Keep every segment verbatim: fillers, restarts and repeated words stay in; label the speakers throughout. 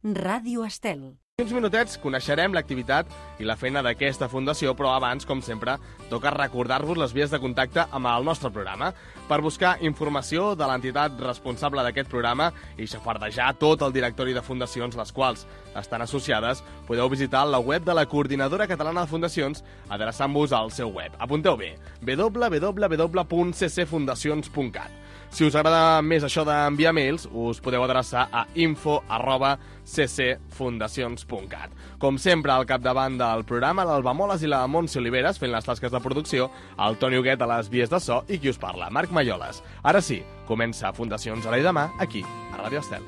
Speaker 1: Ràdio Estel.
Speaker 2: En uns minutets coneixerem l'activitat i la feina d'aquesta fundació, però abans, com sempre, toca recordar-vos les vies de contacte amb el nostre programa. Per buscar informació de l'entitat responsable d'aquest programa i xafardejar tot el directori de fundacions les quals estan associades, podeu visitar la web de la Coordinadora Catalana de Fundacions adreçant-vos al seu web. Apunteu bé, w w w punt c c fundacions punt cat. Si us agrada més això d'enviar mails, us podeu adreçar a info arroba c c fundacions punt cat. Com sempre, al capdavant del programa, l'Alba Moles i la Montse Oliveres, fent les tasques de producció, el Toni Huguet a les vies de so i qui us parla, Marc Malloles. Ara sí, comença Fundacions Ara i Demà, aquí, a Ràdio Estel.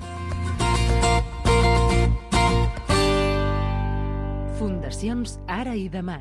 Speaker 1: Fundacions Ara i Demà.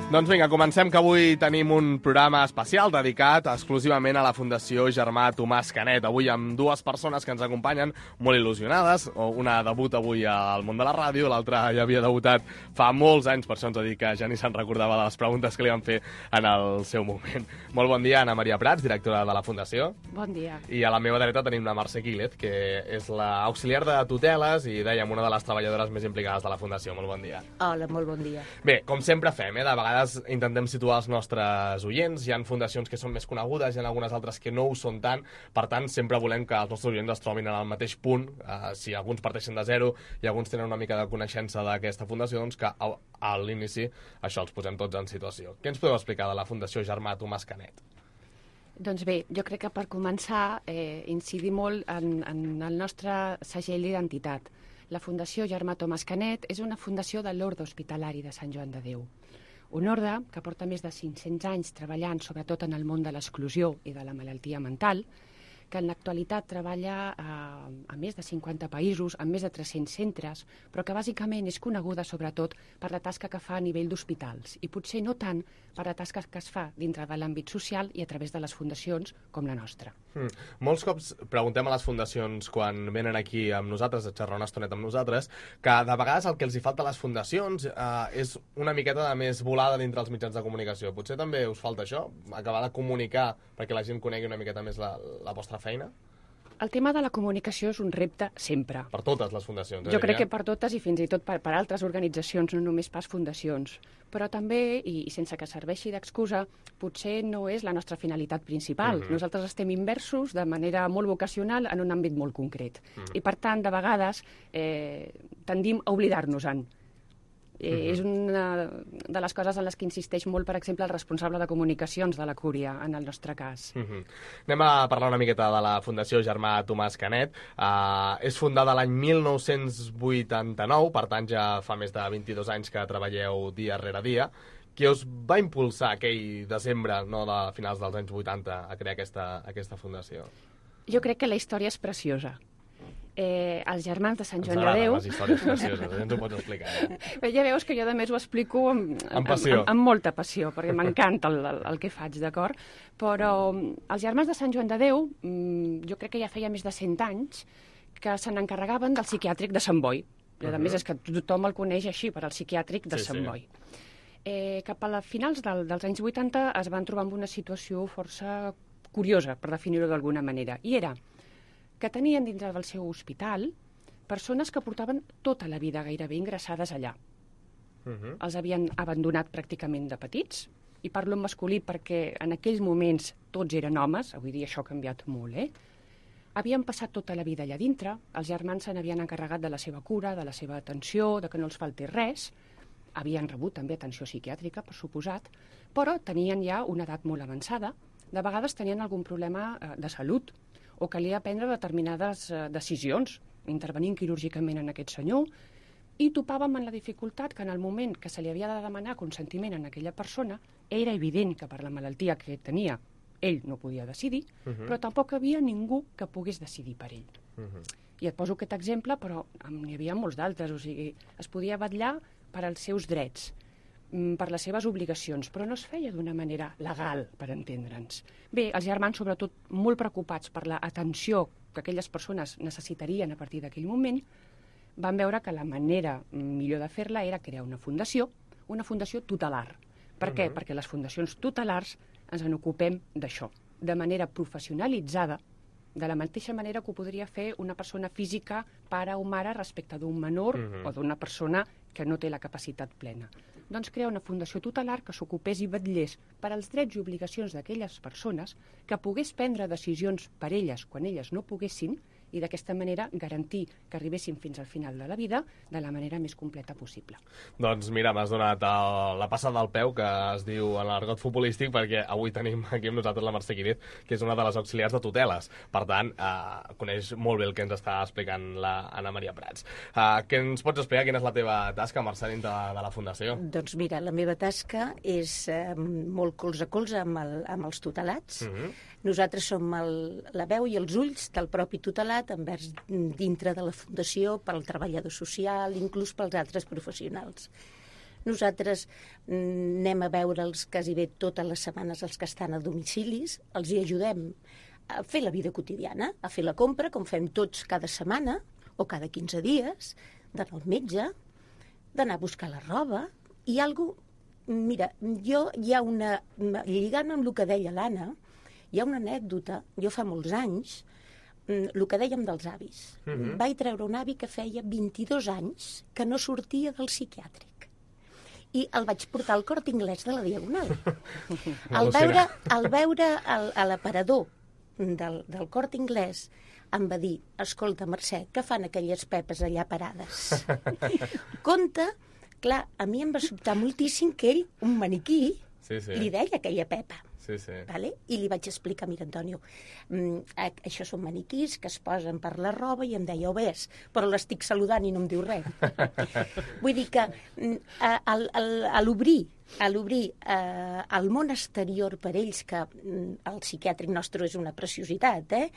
Speaker 2: Doncs vinga, comencem, que avui tenim un programa especial dedicat exclusivament a la Fundació Germà Tomàs Canet. Avui amb dues persones que ens acompanyen molt il·lusionades. Una debuta avui al món de la ràdio, l'altra ja havia debutat fa molts anys, per això ens ha dit que ja ni se'n recordava de les preguntes que li van fer en el seu moment. Molt bon dia, Anna Maria Prats, directora de la Fundació.
Speaker 3: Bon dia.
Speaker 2: I a la meva dreta tenim la Mercè Quílez, que és l'auxiliar de tuteles i, dèiem, una de les treballadores més implicades de la Fundació. Molt bon dia.
Speaker 3: Hola, molt bon dia.
Speaker 2: Bé, com sempre fem, eh? De vegades intentem situar els nostres oients. Hi ha fundacions que són més conegudes, hi ha algunes altres que no ho són tant. Per tant, sempre volem que els nostres oients es trobin en el mateix punt. Uh, si alguns parteixen de zero i alguns tenen una mica de coneixença d'aquesta fundació, doncs que a, a l'inici això els posem tots en situació. Què ens podeu explicar de la Fundació Germà Tomàs Canet?
Speaker 3: Doncs bé, jo crec que per començar eh, incidir molt en, en el nostre segell d'identitat. La Fundació Germà Tomàs Canet és una fundació de l'Orde Hospitalari de Sant Joan de Déu. Un orde que porta més de cinc-cents anys treballant sobretot en el món de l'exclusió i de la malaltia mental, que en l'actualitat treballa a, a més de cinquanta països, en més de tres-cents centres, però que bàsicament és coneguda sobretot per la tasca que fa a nivell d'hospitals i potser no tant per la tasca que es fa dintre de l'àmbit social i a través de les fundacions com la nostra.
Speaker 2: Hmm. Molts cops preguntem a les fundacions quan venen aquí amb nosaltres, a xerrar una estoneta amb nosaltres, que de vegades el que els hi falta a les fundacions eh, és una miqueta de més volada dintre els mitjans de comunicació. Potser també us falta això, acabar de comunicar perquè la gent conegui una miqueta més la, la vostra feina?
Speaker 3: El tema de la comunicació és un repte sempre.
Speaker 2: Per totes les fundacions.
Speaker 3: Jo crec que per totes i fins i tot per, per altres organitzacions, no només pas fundacions. Però també, i, i sense que serveixi d'excusa, potser no és la nostra finalitat principal. Mm-hmm. Nosaltres estem immersos de manera molt vocacional en un àmbit molt concret. Mm-hmm. I per tant, de vegades, eh, tendim a oblidar-nos-en. Eh, uh-huh. És una de les coses en les que insisteix molt, per exemple, el responsable de comunicacions de la Cúria, en el nostre cas.
Speaker 2: Uh-huh. Anem a parlar una miqueta de la Fundació Germà Tomàs Canet. Uh, és fundada l'any mil nou-cents vuitanta-nou, per tant ja fa més de vint-i-dos anys que treballeu dia rere dia. Què us va impulsar aquell desembre, no, de finals dels anys vuitanta, a crear aquesta, aquesta fundació?
Speaker 3: Jo crec que la història és preciosa. Eh, els germans de Sant Joan de Déu...
Speaker 2: Ens agraden les històries precioses, ens ho pots explicar. Eh?
Speaker 3: Ja veus que jo, a més, ho explico amb,
Speaker 2: amb, passió.
Speaker 3: amb, amb molta passió, perquè m'encanta el, el, el que faig, d'acord? Però els germans de Sant Joan de Déu, jo crec que ja feia més de cent anys, que se n'encarregaven del psiquiàtric de Sant Boi. I, a uh-huh. més, és que tothom el coneix així, per al psiquiàtric de sí, Sant sí. Boi. Eh, cap a les finals del, dels anys vuitanta es van trobar amb una situació força curiosa, per definir-ho d'alguna manera, i era que tenien dintre del seu hospital persones que portaven tota la vida gairebé ingressades allà. Uh-huh. Els havien abandonat pràcticament de petits, i parlo en masculí perquè en aquells moments tots eren homes, avui dia això ha canviat molt, eh? Havien passat tota la vida allà dintre, els germans se n'havien encarregat de la seva cura, de la seva atenció, de que no els faltés res, havien rebut també atenció psiquiàtrica, per suposat, però tenien ja una edat molt avançada, de vegades tenien algun problema eh, de salut, o calia prendre determinades eh, decisions, intervenint quirúrgicament en aquest senyor, i topàvem en la dificultat que en el moment que se li havia de demanar consentiment a aquella persona, era evident que per la malaltia que tenia ell no podia decidir, uh-huh. però tampoc hi havia ningú que pogués decidir per ell. Uh-huh. I et poso aquest exemple, però n'hi havia molts d'altres, o sigui, es podia vetllar per als seus drets, per les seves obligacions, però no es feia d'una manera legal, per entendre'ns. Bé, els germans, sobretot, molt preocupats per l'atenció que aquelles persones necessitarien a partir d'aquell moment, van veure que la manera millor de fer-la era crear una fundació, una fundació tutelar. Per què?
Speaker 2: Mhm.
Speaker 3: Perquè les fundacions tutelars ens en ocupem d'això, de manera professionalitzada, de la mateixa manera que ho podria fer una persona física, pare o mare, respecte d'un menor
Speaker 2: Mhm.
Speaker 3: o d'una persona que no té la capacitat plena. Doncs crear una fundació tutelar que s'ocupés i vetllés per als drets i obligacions d'aquelles persones, que pogués prendre decisions per elles quan elles no poguessin, i d'aquesta manera garantir que arribessin fins al final de la vida de la manera més completa possible.
Speaker 2: Doncs mira, m'has donat el, la passada del peu, que es diu en l'argot futbolístic, perquè avui tenim aquí amb nosaltres la Mercè Quídez, que és una de les auxiliars de tuteles. Per tant, eh, coneix molt bé el que ens està explicant la Anna Maria Prats. Eh, què ens pots explicar? Quina és la teva tasca, Mercè, dintre de, de la Fundació?
Speaker 4: Doncs mira, la meva tasca és eh, molt colze a colze amb, el, amb els tutelats.
Speaker 2: Mhm.
Speaker 4: Nosaltres som el, la veu i els ulls del propi tutelat envers dintre de la Fundació pel treballador social, inclús pels altres professionals. Nosaltres mm, anem a veure'ls quasi bé totes les setmanes els que estan a domicilis, els hi ajudem a fer la vida quotidiana, a fer la compra, com fem tots cada setmana o cada quinze dies, d'anar al metge, d'anar a buscar la roba, i algo, mira, jo hi ha una, lligant amb el que deia l'Anna, hi ha una anècdota, jo fa molts anys, el que dèiem dels avis.
Speaker 2: Mhm.
Speaker 4: Vaig treure un avi que feia vint-i-dos anys que no sortia del psiquiàtric. I el vaig portar al Corte Inglés de la Diagonal. Al veure, al veure el, a l'aparador del, del Corte Inglés em va dir: escolta, Mercè, què fan aquelles pepes allà parades? Compte, clar, a mi em va sobtar moltíssim que ell, un maniquí,
Speaker 2: Sí, sí.
Speaker 4: li deia aquella pepa.
Speaker 2: Sí, sí.
Speaker 4: Vale? I li vaig explicar: mira, Antonio, mm, a- això són maniquís que es posen per la roba, i em deia: ho ves, però l'estic saludant i no em diu res. Vull dir que mm, a, a, a l'obrir a l'obrir eh, al món exterior per ells, que mm, el psiquiàtric nostre és una preciositat, eh?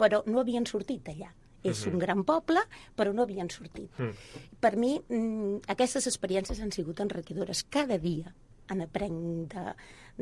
Speaker 4: Però no havien sortit allà. És un gran poble, però no havien sortit. Per mi, mm, aquestes experiències han sigut enriquidores. Cada dia en aprenc de-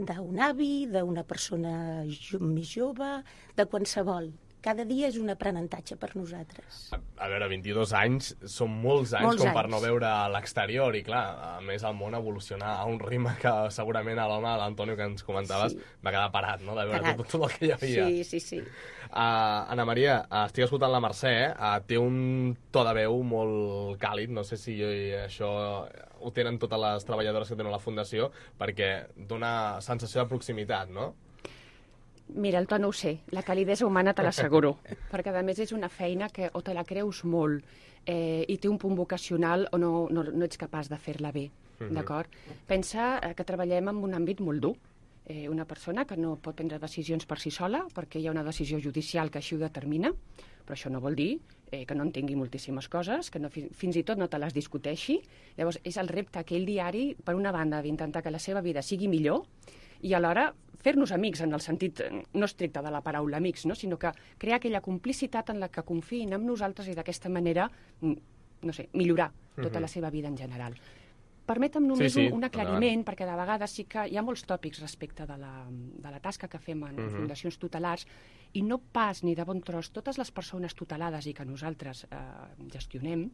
Speaker 4: d'un avi, d'una persona jo, més jove, de qualsevol. Cada dia és un aprenentatge per nosaltres.
Speaker 2: A, a veure, vint-i-dos anys són molts anys
Speaker 4: Molts
Speaker 2: com per
Speaker 4: anys.
Speaker 2: no veure l'exterior, i clar, a més el món evoluciona a un ritme que segurament a l'home, l'Antonio, que ens comentaves,
Speaker 4: Sí.
Speaker 2: va quedar parat, no?, de veure
Speaker 4: Parat.
Speaker 2: tot, tot el que hi havia.
Speaker 4: Sí, sí, sí.
Speaker 2: Uh, Anna Maria, uh, estic escoltant la Mercè, uh, té un to de veu molt càlid, no sé si això ho tenen totes les treballadores que tenen a la Fundació, perquè dona sensació de proximitat, no?
Speaker 3: Mira, el to no ho sé, la calidesa humana te l'asseguro, perquè a més és una feina que o te la creus molt eh, i té un punt vocacional o no, no, no ets capaç de fer-la bé, d'acord? Pensa eh, que treballem en un àmbit molt dur. Eh, una persona que no pot prendre decisions per si sola perquè hi ha una decisió judicial que així ho determina, però això no vol dir eh, que no entengui moltíssimes coses, que no, fi- fins i tot no te les discuteixi. Llavors, és el repte aquell diari, per una banda, d'intentar que la seva vida sigui millor, i alhora fer-nos amics en el sentit eh, no estricte de la paraula amics, no? Sinó que crear aquella complicitat en la que confiïn en nosaltres i d'aquesta manera, mm, no sé, millorar tota
Speaker 2: Mhm.
Speaker 3: la seva vida en general. Permetem només
Speaker 2: Sí, sí,
Speaker 3: un, un aclariment,
Speaker 2: endavant.
Speaker 3: perquè de vegades sí que hi ha molts tòpics respecte de la, de la tasca que fem en
Speaker 2: Mhm.
Speaker 3: fundacions tutelars, i no pas ni de bon tros totes les persones tutelades i que nosaltres eh, gestionem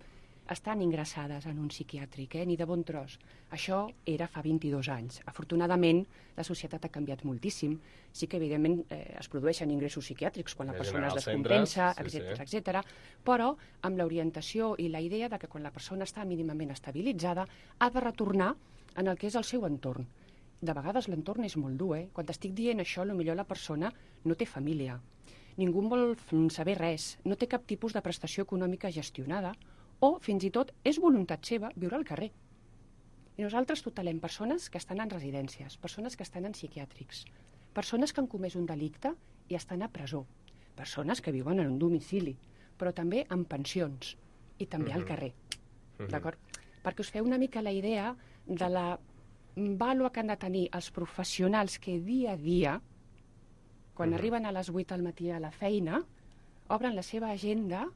Speaker 3: estan ingressades en un psiquiàtric, eh? Ni de bon tros. Això era fa vint-i-dos anys. Afortunadament, la societat ha canviat moltíssim. Sí que, evidentment, eh, es produeixen ingressos psiquiàtrics quan la
Speaker 2: Hi ha
Speaker 3: persona es
Speaker 2: generals
Speaker 3: descompensa,
Speaker 2: centres, sí,
Speaker 3: etcètera,
Speaker 2: sí.
Speaker 3: etcètera, però amb l'orientació i la idea de que quan la persona està mínimament estabilitzada ha de retornar en el que és el seu entorn. De vegades l'entorn és molt dur, eh? Quan t'estic dient això, potser la persona no té família, ningú en vol f- saber res, no té cap tipus de prestació econòmica gestionada, o, fins i tot, és voluntat seva viure al carrer. I nosaltres tutelem persones que estan en residències, persones que estan en psiquiàtrics, persones que han comès un delicte i estan a presó, persones que viuen en un domicili, però també en pensions i també al
Speaker 2: Mhm.
Speaker 3: carrer.
Speaker 2: Mhm.
Speaker 3: D'acord? Perquè us feu una mica la idea de la vàlua que han de tenir els professionals que dia a dia, quan
Speaker 2: Mhm.
Speaker 3: arriben a les vuit al matí a la feina, obren la seva agenda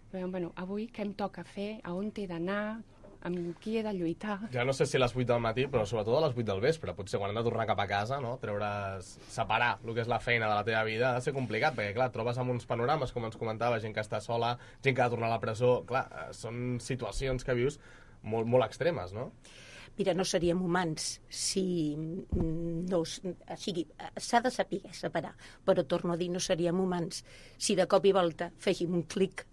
Speaker 3: i veuen, bueno, avui què em toca fer, a on he d'anar, amb qui he de lluitar.
Speaker 2: Ja no sé si a les vuit del matí, però sobretot a les vuit del vespre. Potser quan hem de tornar cap a casa, no? Treure's, separar el que és la feina de la teva vida ha de ser complicat, perquè, clar, trobes amb uns panorames, com ens comentava, gent que està sola, gent que ha de tornar a la presó. Clar, eh, són situacions que vius molt, molt extremes, no?
Speaker 4: Mira, no seríem humans si no... O sigui, s'ha de saber separar, però torno a dir, no seríem humans si de cop i volta féssim un clic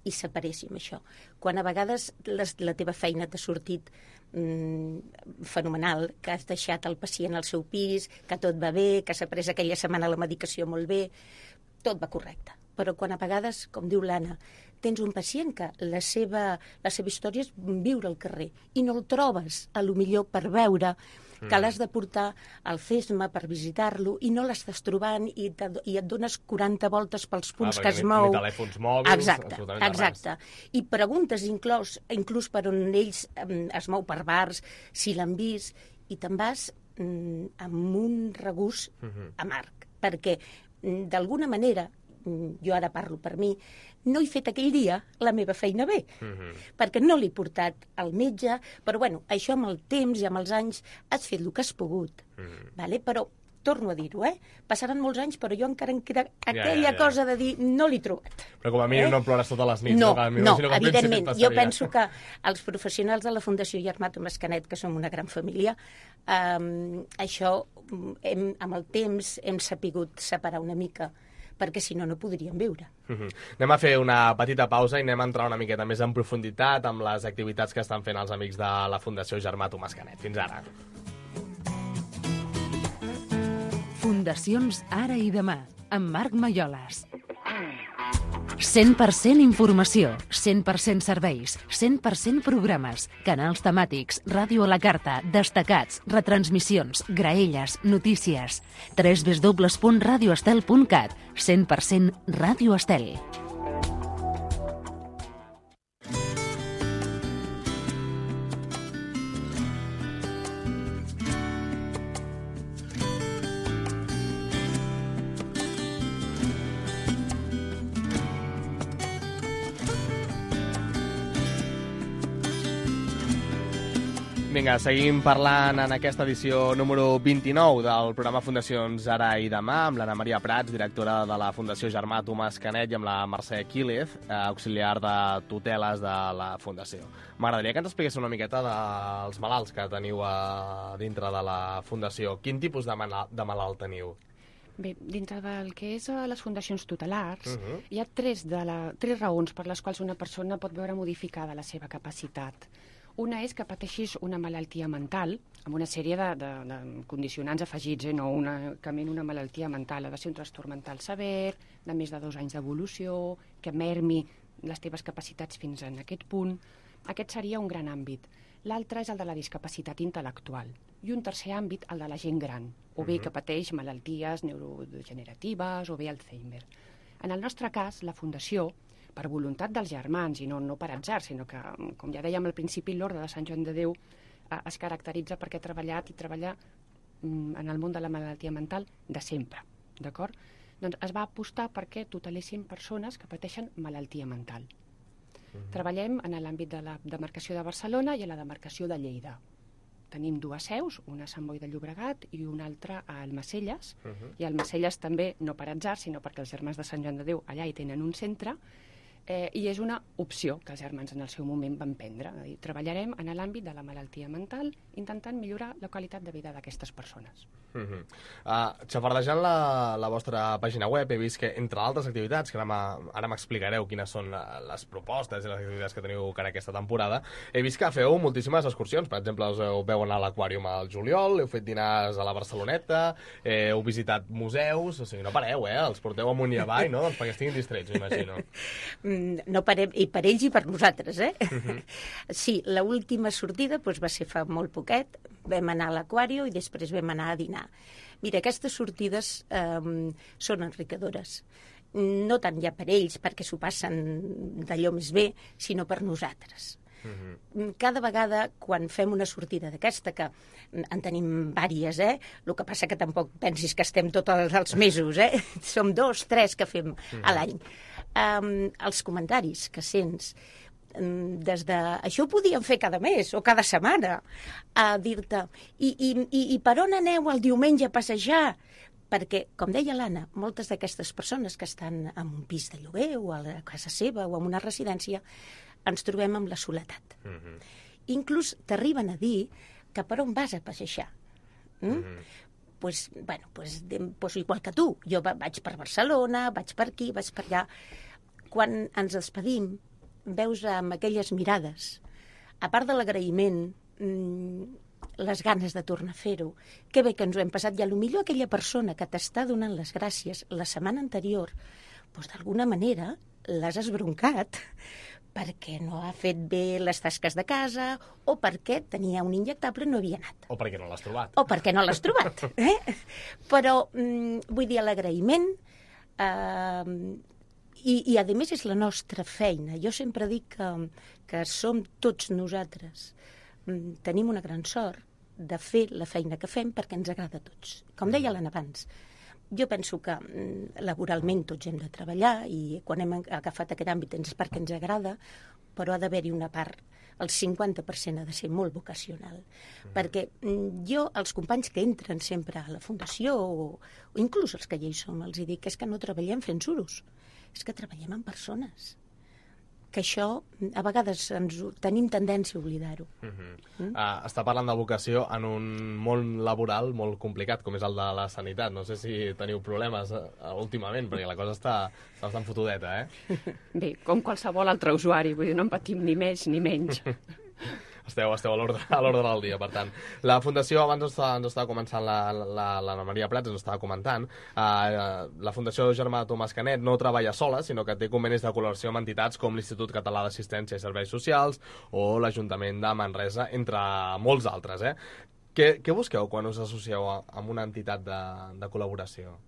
Speaker 4: i separéssim això. Quan a vegades les, la teva feina t'ha sortit mm, fenomenal, que has deixat el pacient al seu pis, que tot va bé, que s'ha pres aquella setmana la medicació molt bé, tot va correcte. Però quan a vegades, com diu l'Anna, tens un pacient que la seva, la seva història és viure al carrer i no el trobes, a lo millor per veure, que l'has de portar al CESMA per visitar-lo i no l'estàs trobant i, i et dones quaranta voltes pels punts
Speaker 2: ah,
Speaker 4: que es
Speaker 2: ni,
Speaker 4: mou.
Speaker 2: Ni telèfons mòbils,
Speaker 4: exacte,
Speaker 2: absolutament
Speaker 4: exacte. I preguntes inclús, inclús per on ells um, es mou per bars, si l'han vist, i te'n vas um, amb un regust uh-huh. amarg, perquè um, d'alguna manera, um, jo ara parlo per mi, no he fet aquell dia la meva feina bé, uh-huh. perquè no l'he portat al metge, però bueno, això amb el temps i amb els anys has fet el que has pogut, uh-huh. vale? Però torno a dir-ho, eh? Passaran molts anys, però jo encara em queda aquella ja, ja, ja. cosa de dir no l'he trobat.
Speaker 2: Però com a mínim eh? no plores totes les nits.
Speaker 4: No,
Speaker 2: no,
Speaker 4: no, no evidentment. Jo penso que els professionals de la Fundació Germà Tomàs Canet, que som una gran família, eh, això hem, amb el temps hem sapigut separar una mica, perquè si no, no podríem viure.
Speaker 2: Uh-huh. Anem a fer una petita pausa i anem a entrar una miqueta més en profunditat amb les activitats que estan fent els amics de la Fundació Germà Tomàs Canet. Fins ara.
Speaker 1: Fundacions Ara i Demà, amb Marc Malloles. cent per cent informació, cent per cent serveis, cent per cent programes, canals temàtics, ràdio a la carta, destacats, retransmissions, graelles, notícies. w w w punt radio estel punt cat. cent per cent Ràdio Estel.
Speaker 2: Vinga, seguim parlant en aquesta edició número vint-i-nou del programa Fundacions Ara i Demà amb l'Anna Maria Prats, directora de la Fundació Germà Tomàs Canet, i amb la Mercè Quílez, auxiliar de tuteles de la Fundació. M'agradaria que ens expliqués una miqueta dels malalts que teniu a dintre de la Fundació. Quin tipus de, de malalt teniu?
Speaker 3: Bé, dintre del que és a les fundacions tutelars,
Speaker 2: Uh-huh.
Speaker 3: hi ha tres, de la, tres raons per les quals una persona pot veure modificada la seva capacitat. Una és que pateixis una malaltia mental, amb una sèrie de, de, de condicionants afegits, eh? No únicament una malaltia mental, ha de ser un trastorn mental sever, de més de dos anys d'evolució, que mermi les teves capacitats fins en aquest punt. Aquest seria un gran àmbit. L'altre és el de la discapacitat intel·lectual. I un tercer àmbit, el de la gent gran, o bé que pateix malalties neurodegeneratives o bé Alzheimer. En el nostre cas, la Fundació, per voluntat dels germans, i no, no per atzar, sinó que, com ja dèiem al principi, l'Orde de Sant Joan de Déu eh, es caracteritza perquè ha treballat i treballa mm, en el món de la malaltia mental de sempre, d'acord? Doncs es va apostar perquè tutelessin persones que pateixen malaltia mental. Uh-huh. Treballem en l'àmbit de la demarcació de Barcelona i a la demarcació de Lleida. Tenim dues seus, una a Sant Boi de Llobregat i una altra a Almacelles. Uh-huh. I a Almacelles també, no per atzar, sinó perquè els germans de Sant Joan de Déu allà hi tenen un centre, eh, i és una opció que els germans en el seu moment van prendre. És a dir, treballarem en l'àmbit de la malaltia mental intentant millorar la qualitat de vida d'aquestes persones.
Speaker 2: Uh-huh. uh, xafardejant la, la vostra pàgina web he vist que, entre altres activitats, que ara, ara m'explicareu quines són les propostes i les activitats que teniu cara aquesta temporada, he vist que feu moltíssimes excursions. Per exemple, us heu veu anar a l'aquàrium al juliol, heu fet dinars a la Barceloneta, eh, heu visitat museus, o sigui, no pareu, eh? Els porteu amunt i avall, no? Doncs perquè estiguin distrets, m'imagino.
Speaker 4: No parem, i per ells i per nosaltres, eh? Uh-huh. Sí, l'última sortida doncs, va ser fa molt poquet, vam anar a l'aquàrium i després vam anar a dinar. Mira, aquestes sortides eh, són enriquidores. No tant ja per ells, perquè s'ho passen d'allò més bé, sinó per nosaltres. Uh-huh. Cada vegada, quan fem una sortida d'aquesta, que en tenim vàries, eh? El que passa que tampoc pensis que estem tots els mesos, eh? Som dos, tres que fem uh-huh. a l'any. Um, els comentaris que sents um, des de... Això ho podíem fer cada mes o cada setmana, a dir-te i, i, i, i per on aneu el diumenge a passejar? Perquè, com deia l'Anna, moltes d'aquestes persones que estan en un pis de lloguer o a la casa seva o en una residència ens trobem amb la soledat. Uh-huh. Inclús t'arriben a dir que per on vas a passejar? Mm? Mm-hmm. Pues, bueno, pues, pues igual que tu. Jo vaig per Barcelona, vaig per aquí, vaig per allà. Quan ens despedim, veus amb aquelles mirades, a part de l'agraïment, les ganes de tornar a fer-ho, que bé que ens ho hem passat, i potser aquella persona que t'està donant les gràcies la setmana anterior, doncs d'alguna manera l'has esbroncat perquè no ha fet bé les tasques de casa, o perquè tenia un injectable i no havia anat.
Speaker 2: O perquè no l'has trobat.
Speaker 4: O perquè no l'has trobat. Eh? Però, mm, vull dir, l'agraïment, eh, i, i a més és la nostra feina. Jo sempre dic que, que som tots nosaltres. Mm, tenim una gran sort de fer la feina que fem perquè ens agrada a tots. Com deia l'Anna abans, jo penso que laboralment tots hem de treballar i quan hem agafat aquest àmbit és perquè ens agrada, però ha d'haver-hi una part, el cinquanta per cent ha de ser molt vocacional. Mm. Perquè jo, els companys que entren sempre a la Fundació, o, o inclús els que ja hi som, els dic que és que no treballem fent suros, és que treballem amb persones. Que això, a vegades, ens, tenim tendència a oblidar-ho. Uh-huh. mm?
Speaker 2: uh, està parlant de vocació en un món laboral molt complicat, com és el de la sanitat. No sé si teniu problemes uh, últimament, perquè la cosa està, està bastant fotudeta, eh?
Speaker 3: Bé, com qualsevol altre usuari, vull dir, no en patim ni més ni menys.
Speaker 2: Esteu, esteu a l'ordre del dia, per tant. La Fundació, abans ens estava, ens estava començant la, la, l'Anna Maria Prats, ens estava comentant, eh, la Fundació Germà Tomàs Canet no treballa sola, sinó que té convenis de col·laboració amb entitats com l'Institut Català d'Assistència i Serveis Socials o l'Ajuntament de Manresa, entre molts altres. Eh? Què, què busqueu quan us associeu a, amb una entitat de, de col·laboració?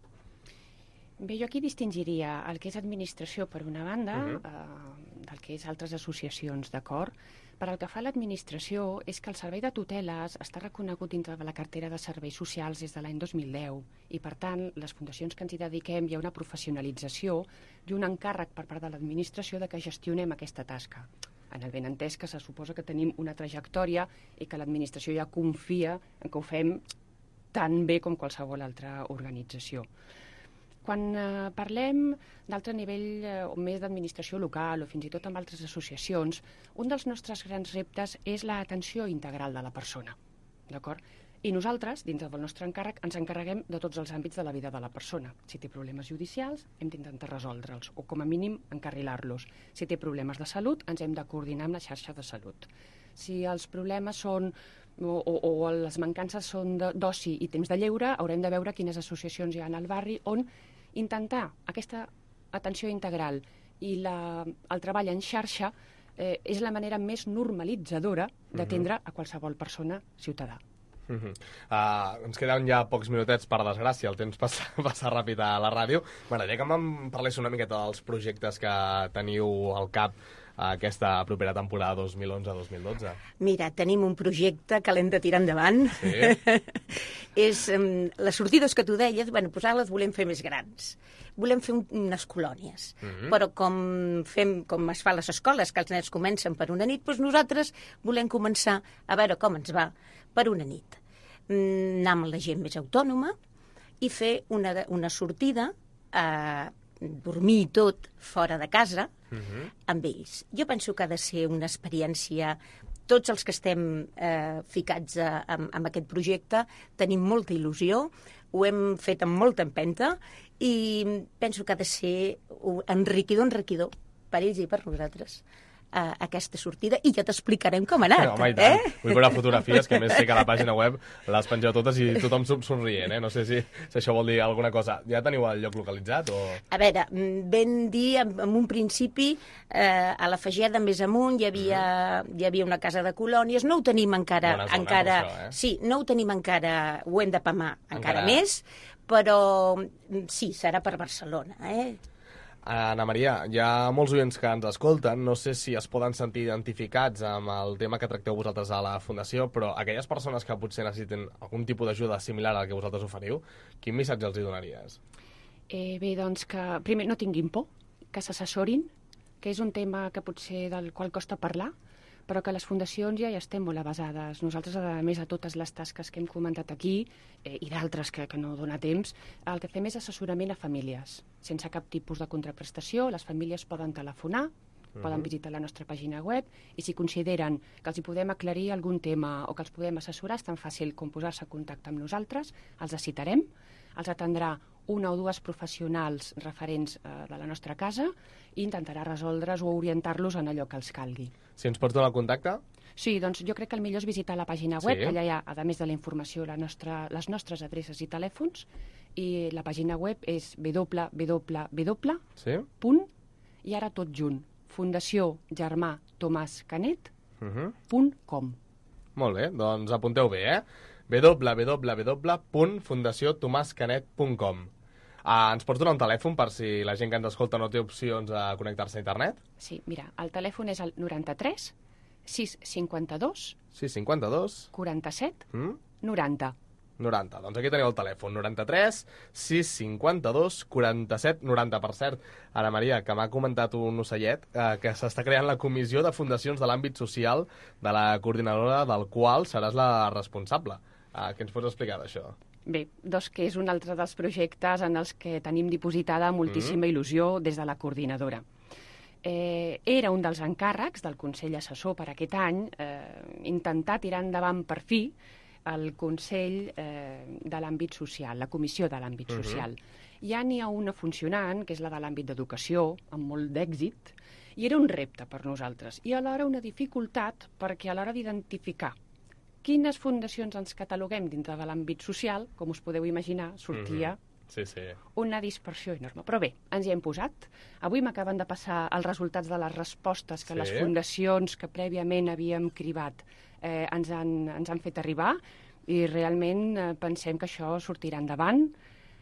Speaker 3: Bé, jo aquí distingiria el que és administració per una banda, uh-huh. eh, del que és altres associacions, d'acord? Per al que fa a l'administració és que el servei de tuteles està reconegut dintre de la cartera de serveis socials des de l'any dos mil deu i, per tant, les fundacions que ens hi dediquem hi ha una professionalització i un encàrrec per part de l'administració de que gestionem aquesta tasca. En el ben entès que se suposa que tenim una trajectòria i que l'administració ja confia en que ho fem tan bé com qualsevol altra organització. Quan eh, parlem d'altre nivell eh, o més d'administració local o fins i tot amb altres associacions, un dels nostres grans reptes és l'atenció integral de la persona, d'acord? I nosaltres, dintre del nostre encàrrec, ens encarreguem de tots els àmbits de la vida de la persona. Si té problemes judicials, hem d'intentar resoldre'ls, o com a mínim encarrilar-los. Si té problemes de salut, ens hem de coordinar amb la xarxa de salut. Si els problemes són o, o, o les mancances són d'oci i temps de lleure, haurem de veure quines associacions hi ha al barri on intentar aquesta atenció integral i la, el treball en xarxa eh, és la manera més normalitzadora d'atendre a qualsevol persona ciutadà.
Speaker 2: Uh -huh. uh, ens queden ja pocs minutets, per desgràcia, el temps passa, passa ràpid a la ràdio. M'agradaria que em parlés una miqueta dels projectes que teniu al cap aquesta propera temporada dos mil onze dos mil dotze.
Speaker 4: Mira, tenim un projecte que l'hem de tirar endavant.
Speaker 2: Sí.
Speaker 4: És um, les sortides que tu deies, bueno, doncs ara les volem fer més grans. Volem fer un, unes colònies. Mm-hmm. Però com fem, com es fa a les escoles, que els nens comencen per una nit, doncs nosaltres volem començar a veure com ens va per una nit. Anar amb la gent més autònoma i fer una, una sortida a dormir i tot fora de casa uh-huh. amb ells. Jo penso que ha de ser una experiència. Tots els que estem eh, ficats a, a, amb aquest projecte tenim molta il·lusió, ho hem fet amb molta empenta i penso que ha de ser enriquidor, enriquidor per ells i per nosaltres a aquesta sortida, i ja t'explicarem com ha anat.
Speaker 2: Home, i tant. Eh? Vull veure fotografies, que a més sé que a la pàgina web les pengeu totes i tothom somrient, eh? No sé si, si això vol dir alguna cosa. Ja teniu el lloc localitzat? O...
Speaker 4: A veure, ben dir, en, en un principi, eh, a la Fageda, més amunt, hi havia, mm. hi havia una casa de colònies. No ho tenim encara...
Speaker 2: Bona zona,
Speaker 4: encara
Speaker 2: això, eh?
Speaker 4: Sí, no ho tenim encara, ho hem de pamar encara, encara més, però sí, serà per Barcelona, eh?
Speaker 2: Anna Maria, hi ha molts oients que ens escolten, no sé si es poden sentir identificats amb el tema que tracteu vosaltres a la Fundació, però aquelles persones que potser necessiten algun tipus d'ajuda similar al que vosaltres oferiu, quin missatge els hi donaries?
Speaker 3: Eh, bé, doncs que primer no tinguin por, que s'assessorin, que és un tema que potser del qual costa parlar, però que les fundacions ja hi estem molt avasades. Nosaltres, a més a totes les tasques que hem comentat aquí, eh, i d'altres que, que no dona temps, el que fem és assessorament a famílies. Sense cap tipus de contraprestació, les famílies poden telefonar, Uh-huh. Poden visitar la nostra pàgina web i si consideren que els hi podem aclarir algun tema o que els podem assessorar, és tan fàcil com posar-se en contacte amb nosaltres, els citarem, els atendrà una o dues professionals referents eh, de la nostra casa i intentarà resoldre's o orientar-los en allò que els calgui.
Speaker 2: Si ens pots donar el contacte?
Speaker 3: Sí, doncs jo crec que el millor és visitar la pàgina web,
Speaker 2: Sí.
Speaker 3: allà hi ha, a més de la informació, la nostra, les nostres adreces i telèfons, i la pàgina web és w w w
Speaker 2: Sí.
Speaker 3: punt, i ara tot junt, Fundació Germà Tomàs Canet
Speaker 2: Uh -huh.
Speaker 3: punt com.
Speaker 2: Molt bé, doncs apunteu bé, eh? w w w punt fundació tomàs canet punt com. Uh, ens pots donar un telèfon per si la gent que ens escolta no té opcions a connectar-se a internet?
Speaker 3: Sí, mira, el telèfon és el noranta-tres sis cinquanta-dos
Speaker 2: Sí, cinquanta-dos.
Speaker 3: quaranta-set
Speaker 2: Mm?
Speaker 3: noranta.
Speaker 2: noranta. Doncs aquí teniu el telèfon, noranta-tres sis cinquanta-dos quaranta-set noranta. Per cert, Ana Maria, que m'ha comentat un ocellet eh, que s'està creant la comissió de fundacions de l'àmbit social de la coordinadora del qual seràs la responsable. Eh, què ens pots explicar d'això?
Speaker 3: Bé, doncs que és un altre dels projectes en els que tenim dipositada moltíssima il·lusió des de la coordinadora. Eh, era un dels encàrrecs del Consell Assessor per aquest any eh, intentar tirar endavant per fi el Consell eh, de l'àmbit social, la Comissió de l'àmbit
Speaker 2: Mhm.
Speaker 3: social. Ja n'hi ha una funcionant, que és la de l'àmbit d'educació, amb molt d'èxit, i era un repte per nosaltres, i alhora una dificultat perquè a l'hora d'identificar quines fundacions ens cataloguem dintre de l'àmbit social, com us podeu imaginar, sortia
Speaker 2: Sí, sí.
Speaker 3: una dispersió enorme. Però bé, ens hi hem posat. Avui m'acaben de passar els resultats de les respostes que
Speaker 2: Sí.
Speaker 3: les fundacions que prèviament havíem cribat eh, ens, han, ens han fet arribar i realment eh, pensem que això sortirà endavant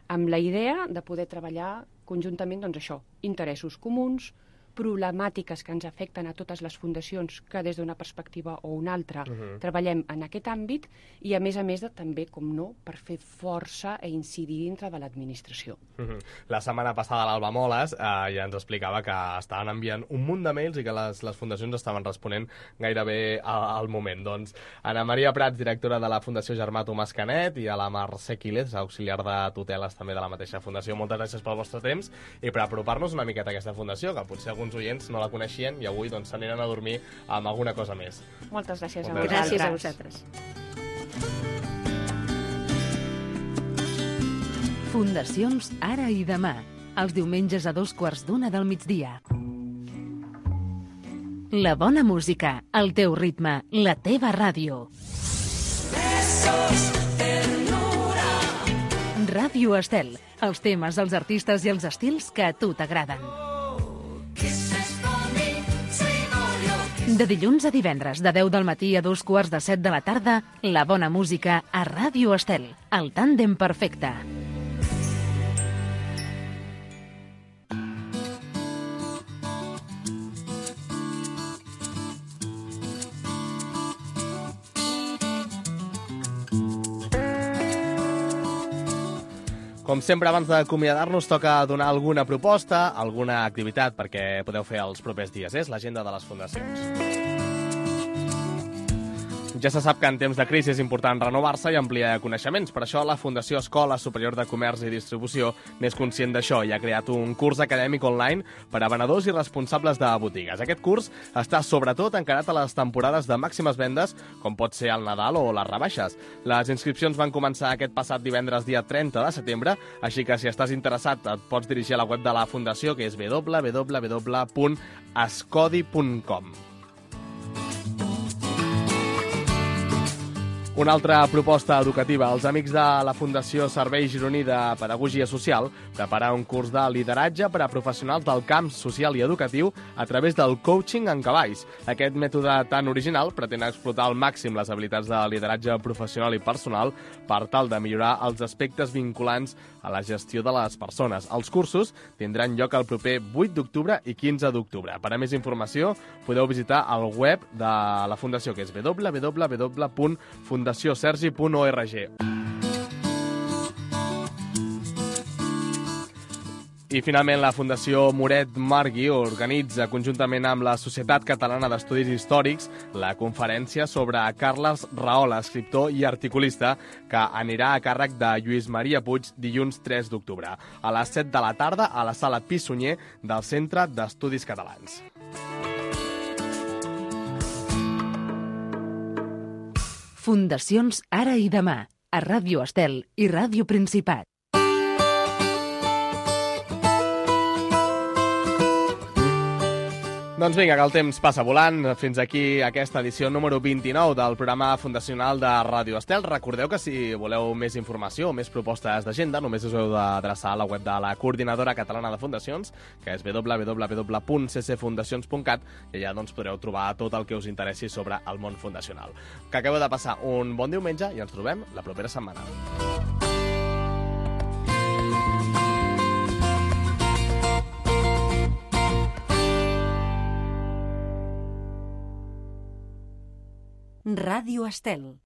Speaker 3: amb la idea de poder treballar conjuntament, doncs això, interessos comuns, problemàtiques que ens afecten a totes les fundacions que des d'una perspectiva o una altra
Speaker 2: Mhm.
Speaker 3: treballem en aquest àmbit i a més a més de també, com no, per fer força e incidir dintre de l'administració.
Speaker 2: Mhm. La setmana passada l'Alba Moles eh, ja ens explicava que estaven enviant un munt de mails i que les, les fundacions estaven responent gairebé a- al moment. Doncs Ana Maria Prats, directora de la Fundació Germà Tomàs Canet, i a la Mercè Quílez, auxiliar de tuteles també de la mateixa fundació. Moltes gràcies pel vostre temps i per apropar-nos una miqueta a aquesta fundació, que potser alguns oients no la coneixien i avui doncs s'aniran a dormir amb alguna cosa més.
Speaker 3: Moltes gràcies a
Speaker 2: Moltes
Speaker 3: vosaltres.
Speaker 4: Gràcies a vosaltres.
Speaker 1: Fundacions Ara i Demà, els diumenges a dos quarts d'una del migdia. La bona música, el teu ritme, la teva ràdio. Ràdio Estel, els temes, els artistes i els estils que a tu t'agraden. De dilluns a divendres, de deu del matí a dos quarts de set de la tarda, la bona música a Ràdio Estel, el tàndem perfecte.
Speaker 2: Com sempre, abans d'acomiadar-nos, toca donar alguna proposta, alguna activitat perquè podeu fer els propers dies. És l'agenda de les fundacions. Ja se sap que en temps de crisi és important renovar-se i ampliar coneixements. Per això la Fundació Escola Superior de Comerç i Distribució n'és conscient d'això i ha creat un curs acadèmic online per a venedors i responsables de botigues. Aquest curs està sobretot encarat a les temporades de màximes vendes, com pot ser el Nadal o les rebaixes. Les inscripcions van començar aquest passat divendres dia trenta de setembre, així que si estàs interessat et pots dirigir a la web de la Fundació, que és w w w punt escodi punt com. Una altra proposta educativa. Els amics de la Fundació Servei Gironí de Pedagogia Social prepara un curs de lideratge per a professionals del camp social i educatiu a través del coaching en cavalls. Aquest mètode tan original pretén explotar al màxim les habilitats de lideratge professional i personal per tal de millorar els aspectes vinculants a la gestió de les persones. Els cursos tindran lloc el proper vuit d'octubre i quinze d'octubre. Per a més informació podeu visitar el web de la Fundació, que és w w w punt fundació sergi punt org. I finalment la Fundació Moret Margui organitza conjuntament amb la Societat Catalana d'Estudis Històrics la conferència sobre Carles Rahola, escriptor i articulista, que anirà a càrrec de Lluís Maria Puig dilluns tres d'octubre, a les set de la tarda a la sala Pi Sunyer del Centre d'Estudis Catalans.
Speaker 1: Fundacions Ara i Demà, a Ràdio Estel i Ràdio Principat.
Speaker 2: Doncs vinga, que el temps passa volant. Fins aquí aquesta edició número vint-i-nou del programa fundacional de Ràdio Estel. Recordeu que si voleu més informació o més propostes d'agenda, només us heu d'adreçar a la web de la Coordinadora Catalana de Fundacions, que és w w w punt c c fundacions punt cat, i allà doncs, podreu trobar tot el que us interessi sobre el món fundacional. Que acabeu de passar un bon diumenge i ens trobem la propera setmana.
Speaker 1: Ràdio Estel.